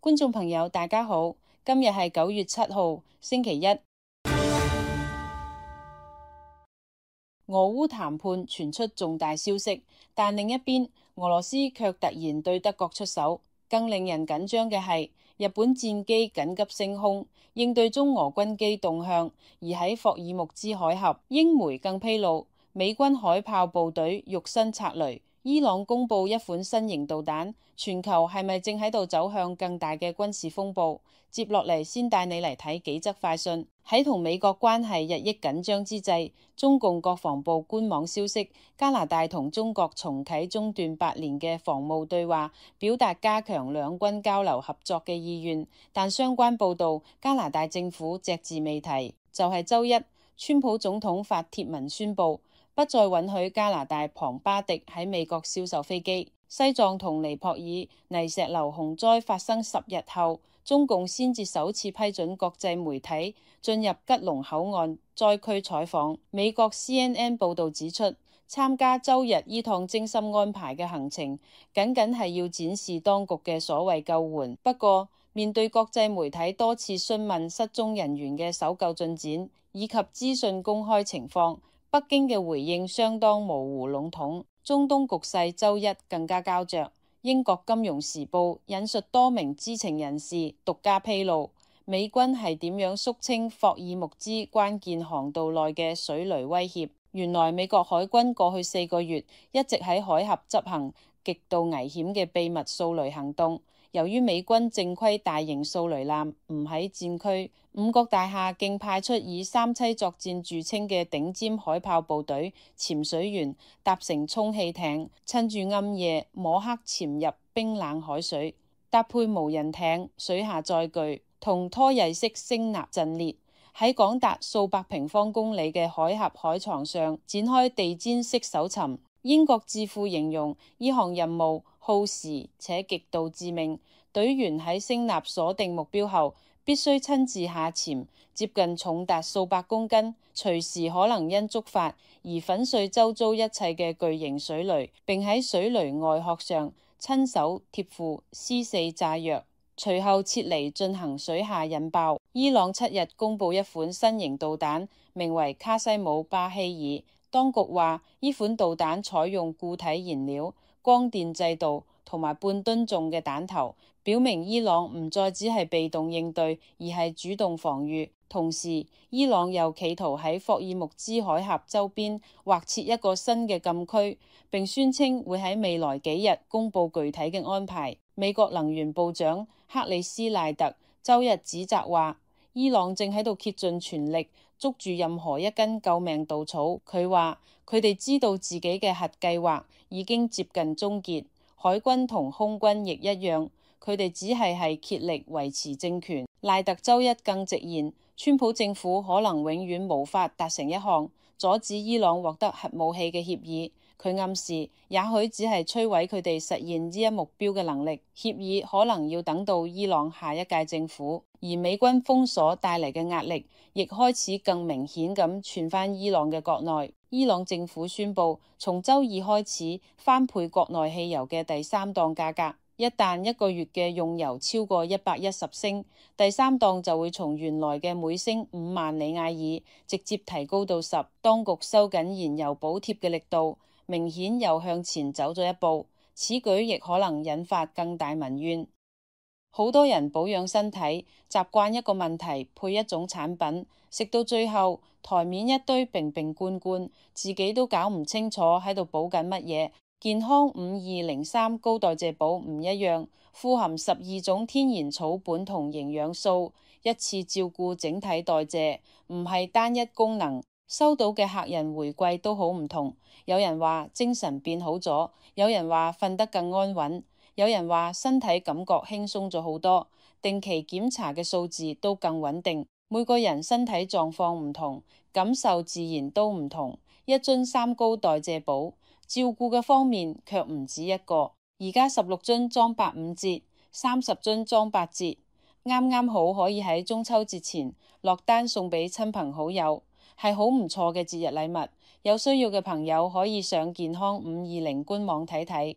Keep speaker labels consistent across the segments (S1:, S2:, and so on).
S1: 觀眾朋友，大家好，今日係9月7號，星期一。俄烏談判傳出重大消息，但另一邊，俄羅斯卻突然對德國出手。更令人緊張嘅係，日本戰機緊急升空，應對中俄軍機動向。而喺霍爾木茲海峽，英媒更披露，美軍海豹部隊肉身擦雷。伊朗公布一款新型導彈，全球係咪正喺度走向更大嘅軍事風暴？接落嚟先帶你嚟睇幾則快訊。喺同美國關係日益緊張之際，中共國防部官網消息，加拿大同中國重啟中斷8年嘅防務對話，表達加強兩軍交流合作嘅意願。但相關報導，加拿大政府隻字未提。就係週一，川普總統發帖文宣布，不再允許加拿大龐巴迪喺美國銷售飛機。西藏同尼泊爾泥石流洪災發生10日後，中共先至首次批准國際媒體進入吉隆口岸災區採訪。美國 CNN 報導指出，參加週日依趟精心安排嘅行程，僅僅係要展示當局嘅所謂救援。不過，面對國際媒體多次詢問失蹤人員嘅搜救進展以及資訊公開情況，北京嘅回應相當模糊籠統。中東局勢週一更加膠着。英國金融時報引述多名知情人士獨家披露，美軍係點樣肅清霍爾木茲關鍵航道內嘅水雷威脅。原來美國海軍過去4個月一直喺海峽執行極度危險嘅秘密掃雷行動。由於美軍正規大型掃雷艦唔喺戰區，五角大廈竟派出以三棲作戰著稱嘅頂尖海豹部隊潛水員搭乘充氣艇，趁住暗夜摸黑潛入冰冷海水，搭配無人艇、水下載具同拖曳式聲納陣列，喺廣達數百平方公里嘅海峽海床上展開地毯式搜尋。英國智庫形容呢項任務耗時且極度致命，隊員喺聲納鎖定目標後，必須親自下潛，接近重達數百公斤，隨時可能因觸發而粉碎周遭一切嘅巨型水雷，並喺水雷外殼上親手貼附C4炸藥，隨後撤離進行水下引爆。伊朗7日公布一款新型導彈，名為卡西姆巴希爾。當局話，呢款導彈採用固體燃料、光電制導同埋半噸重嘅彈頭，表明伊朗唔再只係被動應對，而係主動防禦。同時，伊朗又企圖喺霍爾木茲海峽周邊劃設一個新嘅禁區，並宣稱會喺未來幾日公布具體嘅安排。美國能源部長克里斯賴特週日指責話，伊朗正喺度竭盡全力捉住任何一根救命稻草。佢話佢哋知道自己嘅核計劃已經接近終結，海軍同空軍亦一樣，佢哋只係竭力維持政權。賴特週一更直言，川普政府可能永遠無法達成一項阻止伊朗獲得核武器嘅協議。佢暗示，也許只係摧毀佢哋實現呢一目標嘅能力。協議可能要等到伊朗下一屆政府。而美軍封鎖帶嚟嘅壓力，亦開始更明顯咁傳返伊朗嘅國內。伊朗政府宣布，從週二開始翻倍國內汽油嘅第3檔價格。一旦一個月嘅用油超過110升，第3檔就會從原來嘅每升5萬里亞爾直接提高到10。當局收緊燃油補貼嘅力度，明顯又向前走咗一步。此舉亦可能引發更大民怨。好多人保養身體，習慣一個問題配一種產品，食到最後台面一堆瓶瓶罐罐，自己都搞唔清楚喺度補緊乜嘢。健康5203高代謝寶唔一樣，富含12種天然草本同營養素，一次照顧整體代謝，唔係單一功能。收到嘅客人回饋都好唔同，有人話精神變好咗，有人話瞓得更安穩，有人話身體感覺輕鬆咗好多，定期檢查嘅數字都更穩定。每個人身體狀況唔同，感受自然都唔同。一樽3高代謝寶，照顧嘅方面卻唔止一個。而家16樽裝85折，30樽裝8折，啱啱好可以喺中秋節前落單送俾親朋好友，係好唔錯嘅節日禮物。有需要嘅朋友可以上健康520官網睇睇。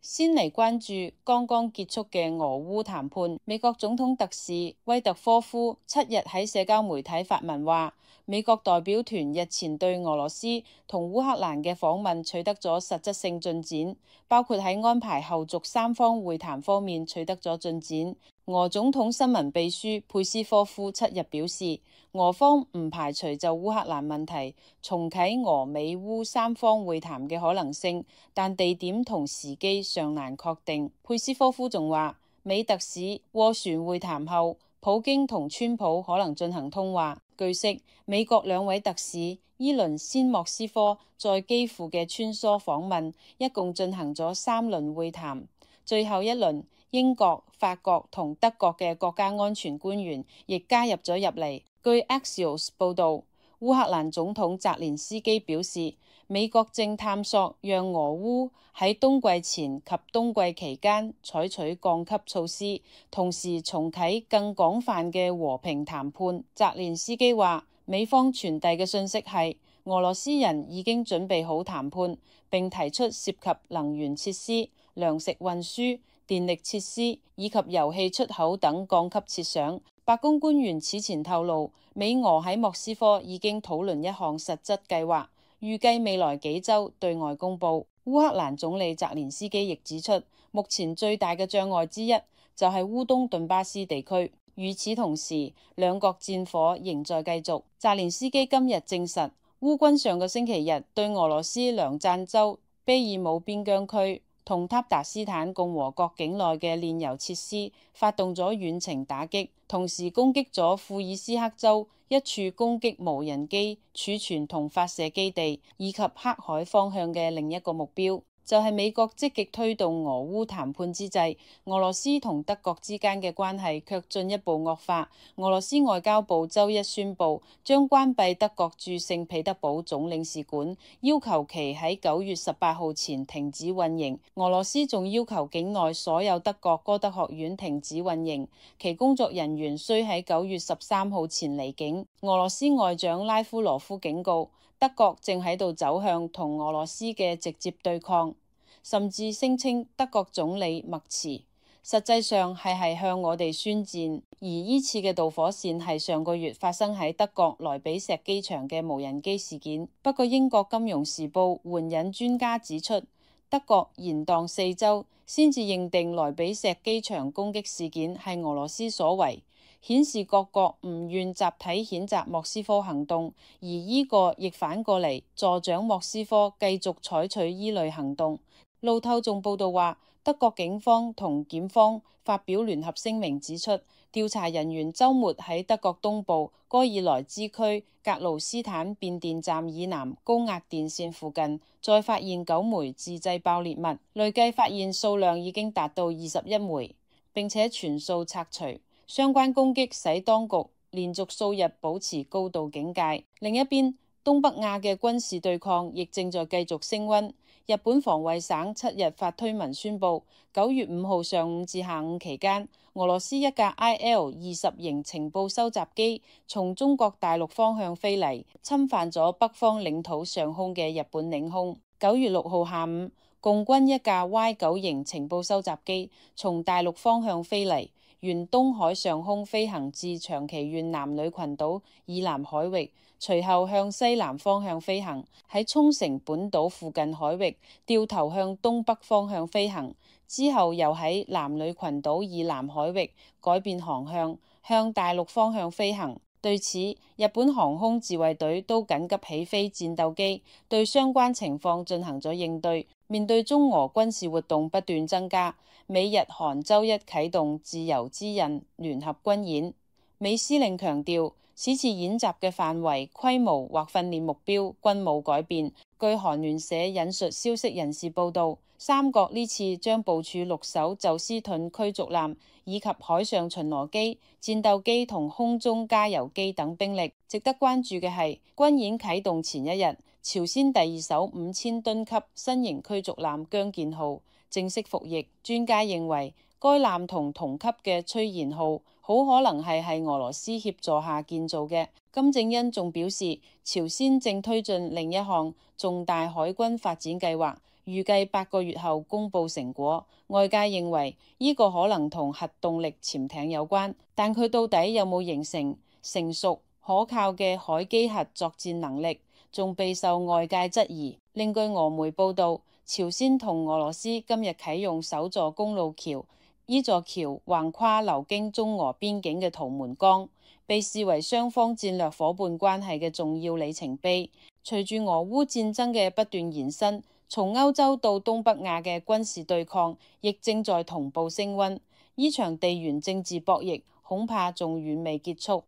S1: 先嚟關注剛剛結束嘅俄烏談判。美國總統特使威特科夫7日喺社交媒體發文話，美國代表團日前對俄羅斯同烏克蘭嘅訪問取得咗實質性進展，包括喺安排後續三方會談方面取得咗進展。俄總統新聞秘書佩斯科夫7日表示，俄方唔排除就烏克蘭問題重啟俄美烏三方會談嘅可能性，但地點同時機尚難確定。佩斯科夫仲話，美特使斡旋會談後，普京同川普可能進行通話。據悉，美國兩位特使伊倫先莫斯科在基輔嘅穿梭訪問，一共進行咗3輪會談。最後一輪，英國、法國同德國嘅國家安全官員亦加入咗入嚟。據 Axios 報導，烏克蘭總統澤連斯基表示，美國正探索讓俄烏喺冬季前及冬季期間採取降級措施，同時重啟更廣泛嘅和平談判。澤連斯基話，美方傳遞嘅信息係，俄羅斯人已經準備好談判，並提出涉及能源設施、糧食運輸、電力設施以及油氣出口等降級設想。白宮官員此前透露，美俄喺莫斯科已經討論一項實質計劃，預計未來幾週對外公佈。烏克蘭總理澤連斯基亦指出，目前最大嘅障礙之一就係烏東頓巴斯地區。與此同時，兩國戰火仍在繼續。澤連斯基今日證實，烏軍上個星期日對俄羅斯梁贊州卑爾姆邊疆區同塔達斯坦共和國境內嘅煉油設施發動咗遠程打擊，同時攻擊咗庫爾斯克州一處攻擊無人機儲存同發射基地，以及黑海方向嘅另一個目標。就係美國積極推動俄烏談判之際，俄羅斯同德國之間嘅關係卻進一步惡化。俄羅斯外交部週一宣布將關閉德國駐聖彼得堡總領事館，要求其喺9月18號前停止運營。俄羅斯仲要求境內所有德國歌德學院停止運營，其工作人員須喺9月13號前離境。俄羅斯外長拉夫羅夫警告，德國正喺度走向同俄羅斯嘅直接對抗，甚至聲稱德國總理默茨實際上係向我哋宣戰。而依次嘅導火線係上個月發生喺德國萊比錫機場嘅無人機事件。不過英國金融時報援引專家指出，德國延宕4週先至認定萊比錫機場攻擊事件係俄羅斯所為，顯示各國唔願集體譴責莫斯科行動，而依個亦反過嚟助長莫斯科繼續採取依類行動。路透仲報道話，德國警方同檢方發表聯合聲明指出，調查人員週末喺德國東部戈爾萊茲區格盧斯坦變電站以南高壓電線附近，再發現9枚自製爆裂物，累計發現數量已經達到21枚，並且全數拆除。相關攻擊使當局連續數日保持高度警戒。另一邊，東北亞嘅軍事對抗亦正在繼續升溫。日本防衛省7日發推文宣布，9月5號上午至下午期間，俄羅斯一架 IL-20型情報收集機從中國大陸方向飛嚟，侵犯咗北方領土上空嘅日本領空。9月6號下午，共軍一架 Y9 型情報收集機從大陸方向飛嚟，沿東海上空飛行至長崎縣男女群島以南海域，隨後向西南方向飛行，喺沖繩本島附近海域掉頭向東北方向飛行，之後又喺男女群島以南海域改變航向，向大陸方向飛行。對此，日本航空自衛隊都緊急起飛戰鬥機，對相關情況進行咗應對。面對中俄軍事活動不斷增加，美日韓週一啟動自由之刃聯合軍演。美司令強調，此次演習嘅範圍、規模或訓練目標均冇改變。據韓聯社引述消息人士報道，三國呢次將部署6艘宙斯盾驅逐艦，以及海上巡邏機、戰鬥機同空中加油機等兵力。值得關注嘅係，軍演啟動前一日，朝鮮第2艘5000噸級新型驅逐艦姜建號正式服役。專家認為，該艦同同級嘅崔賢號好可能係俄羅斯協助下建造嘅。金正恩仲表示，朝鮮正推進另一項重大海軍發展計劃，預計8個月後公佈成果。外界認為呢個可能同核動力潛艇有關，但佢到底有冇形成成熟可靠嘅海基核作戰能力，仲備受外界質疑。另據俄媒報導，朝鮮同俄羅斯今日啟用首座公路橋，呢座橋橫跨流經中俄邊境嘅圖們江，被視為雙方戰略夥伴關係嘅重要里程碑。隨住俄烏戰爭嘅不斷延伸，從歐洲到東北亞嘅軍事對抗亦正在同步升溫。呢場地緣政治博弈恐怕仲遠未結束。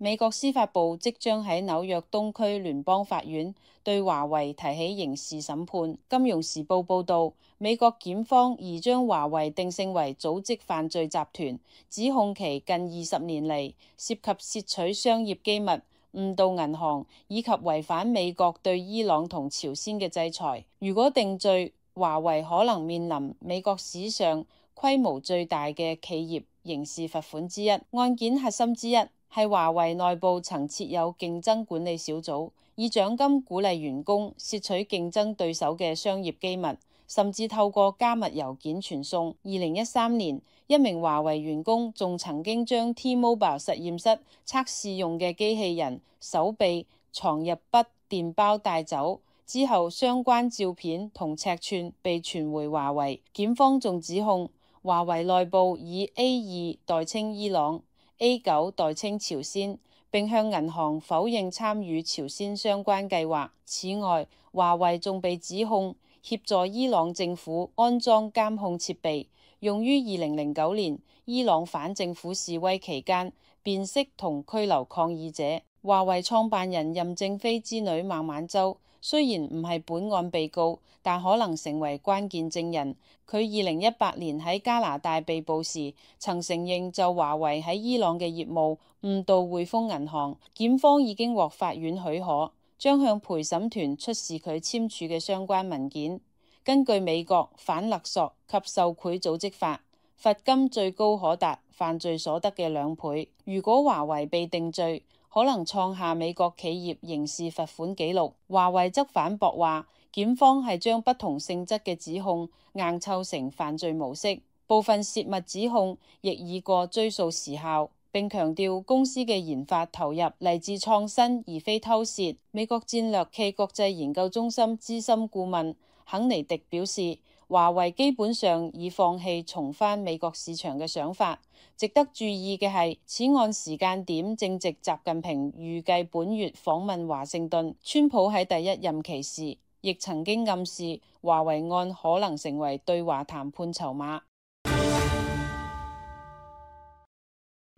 S1: 美國司法部即將喺紐約東區聯邦法院對華為提起刑事審判。金融時報報導，美國檢方已將華為定性為組織犯罪集團，指控其近20年嚟涉及竊取商業機密、誤導銀行以及違反美國對伊朗同朝鮮嘅制裁。如果定罪，華為可能面臨美國史上規模最大嘅企業刑事罰款之一。案件核心之一係華為內部曾設有競爭管理小組，以獎金鼓勵員工竊取競爭對手嘅商業機密，甚至透過加密郵件傳送。2013年，一名華為員工仲曾經將 T-Mobile 實驗室測試用嘅機器人手臂藏入筆電包帶走，之後相關照片同尺寸被傳回華為。檢方仲指控華為內部以 A2 代稱伊朗，A9 代稱朝鮮，並向銀行否認參與朝鮮相關計劃。此外，華為仲被指控協助伊朗政府安裝監控設備，用於2009年伊朗反政府示威期間辨識同拘留抗議者。華為創辦人任正非之女孟晚舟雖然唔係本案被告，但可能成為關鍵證人。佢2018年喺加拿大被捕時，曾承認就華為喺伊朗嘅業務誤導匯豐銀行。檢方已經獲法院許可，將向陪審團出示佢簽署嘅相關文件。根據美國反勒索及受賄組織法，罰金最高可達犯罪所得嘅2倍。如果華為被定罪，可能創下美國企業刑事罰款紀錄。華為則反駁話，檢方係將不同性質嘅指控硬湊成犯罪模式，部分洩密指控亦已過追訴時效，並強調公司嘅研發投入嚟自創新而非偷竊。美國戰略暨國際研究中心資深顧問肯尼迪表示，華為基本上已放棄重返美國市場嘅想法。值得注意嘅係，此案時間點正值習近平預計本月訪問華盛頓。川普喺第一任期時亦曾經暗示華為案可能成為對華談判籌碼。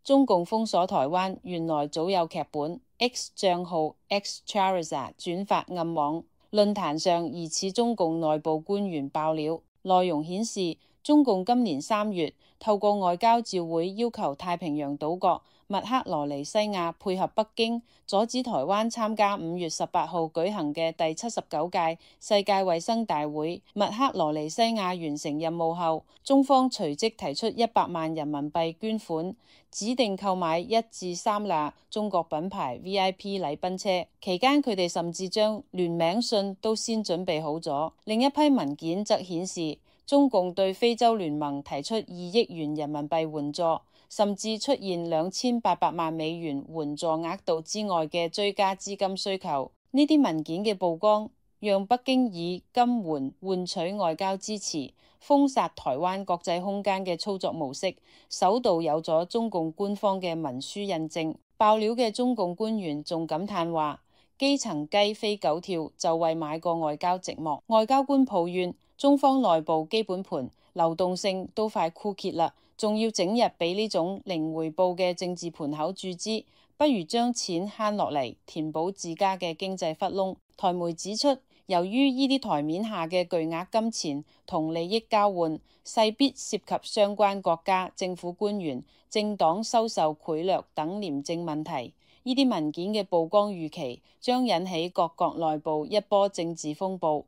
S1: 中共封鎖台灣，原來早有劇本。X 賬號 X Charizard 轉發暗網，論壇上疑似中共內部官員爆料，內容顯示中共今年3月透過外交照會要求太平洋島國密克羅尼西亞配合北京，阻止台灣參加5月18號舉行嘅第79屆世界衛生大會。密克羅尼西亞完成任務後，中方隨即提出100萬人民幣捐款，指定購買1至3輛中國品牌 VIP 禮賓車。期間佢哋甚至將聯名信都先準備好咗。另一批文件則顯示，中共對非洲聯盟提出2億元人民幣援助，甚至出現2800萬美元援助額度之外嘅追加資金需求。呢啲文件嘅曝光，讓北京以金援換取外交支持，封殺台灣國際空間嘅操作模式，首度有咗中共官方嘅文書印證。爆料嘅中共官員仲感嘆話：基層雞飛狗跳就為買個外交寂寞。外交官抱怨，中方內部基本盤流動性都快枯竭啦，仲要整日俾呢種零回報嘅政治盤口注資，不如將錢慳落嚟填補自家嘅經濟窟窿。台媒指出，由於呢啲台面下嘅巨額金錢同利益交換，勢必涉及相關國家政府官員、政黨收受賄賂等廉政問題。呢啲文件嘅曝光預期將引起各國內部一波政治風暴。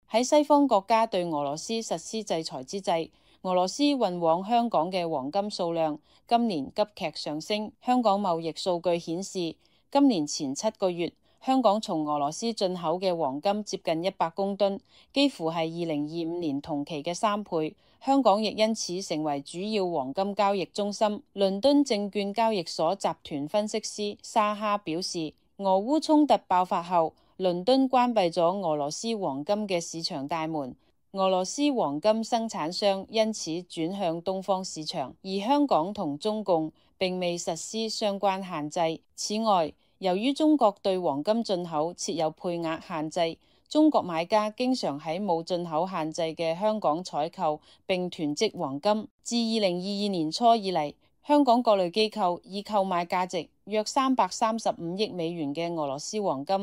S1: 喺西方國家對俄羅斯實施制裁之際，俄羅斯運往香港嘅黃金數量今年急劇上升。香港貿易數據顯示，今年前7個月，香港從俄羅斯進口嘅黃金接近100公噸，幾乎係2025年同期嘅3倍。香港亦因此成為主要黃金交易中心。倫敦證券交易所集團分析師沙哈表示，俄烏衝突爆發後，倫敦關閉咗俄羅斯黃金嘅市場大門，俄羅斯黃金生產商因此轉向東方市場，而香港同中共並未實施相關限制。此外，由於中國對黃金進口設有配額限制，中國買家經常喺冇進口限制嘅香港採購並囤積黃金。自2022年初以嚟，香港各類機構已購買價值約335億美元嘅俄羅斯黃金，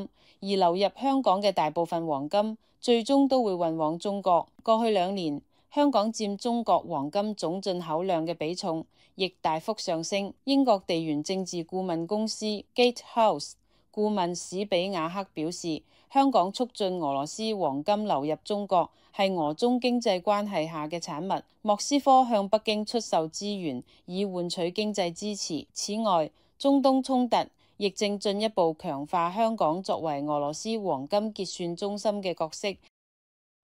S1: 而流入香港嘅大部分黃金最終都會運往中國。過去2年，香港佔中國黃金總進口量嘅比重亦大幅上升。英國地緣政治顧問公司 Gatehouse 顧問史比亞克表示，香港促進俄羅斯黃金流入中國係俄中經濟關係下嘅產物。莫斯科向北京出售資源以換取經濟支持。此外，中東衝突亦正進一步強化香港作為俄羅斯黃金結算中心嘅角色。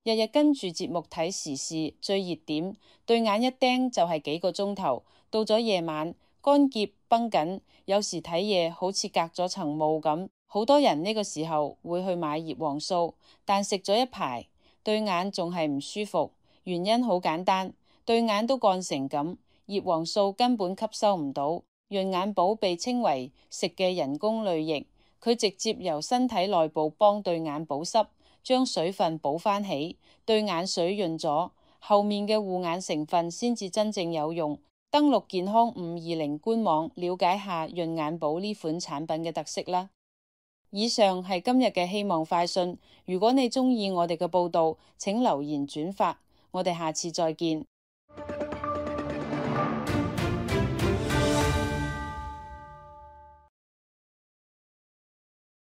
S1: 日日跟住節目睇時事最熱點，對眼一盯就係幾個鐘頭。到咗夜晚，乾澀繃緊，有時睇嘢好似隔咗層霧咁。好多人呢個時候會去買葉黃素，但食咗一排，對眼仲係唔舒服。原因好簡單，對眼都乾成咁，葉黃素根本吸收唔到。潤眼寶被稱為食嘅人工淚液，佢直接由身體內部幫對眼保濕，將水分補返起，對眼水潤咗，後面嘅護眼成分先至真正有用。登錄健康520官網，了解下潤眼寶呢款產品嘅特色啦。以上係今日嘅希望快訊，如果你鍾意我哋嘅報道，請留言轉發，我哋下次再見。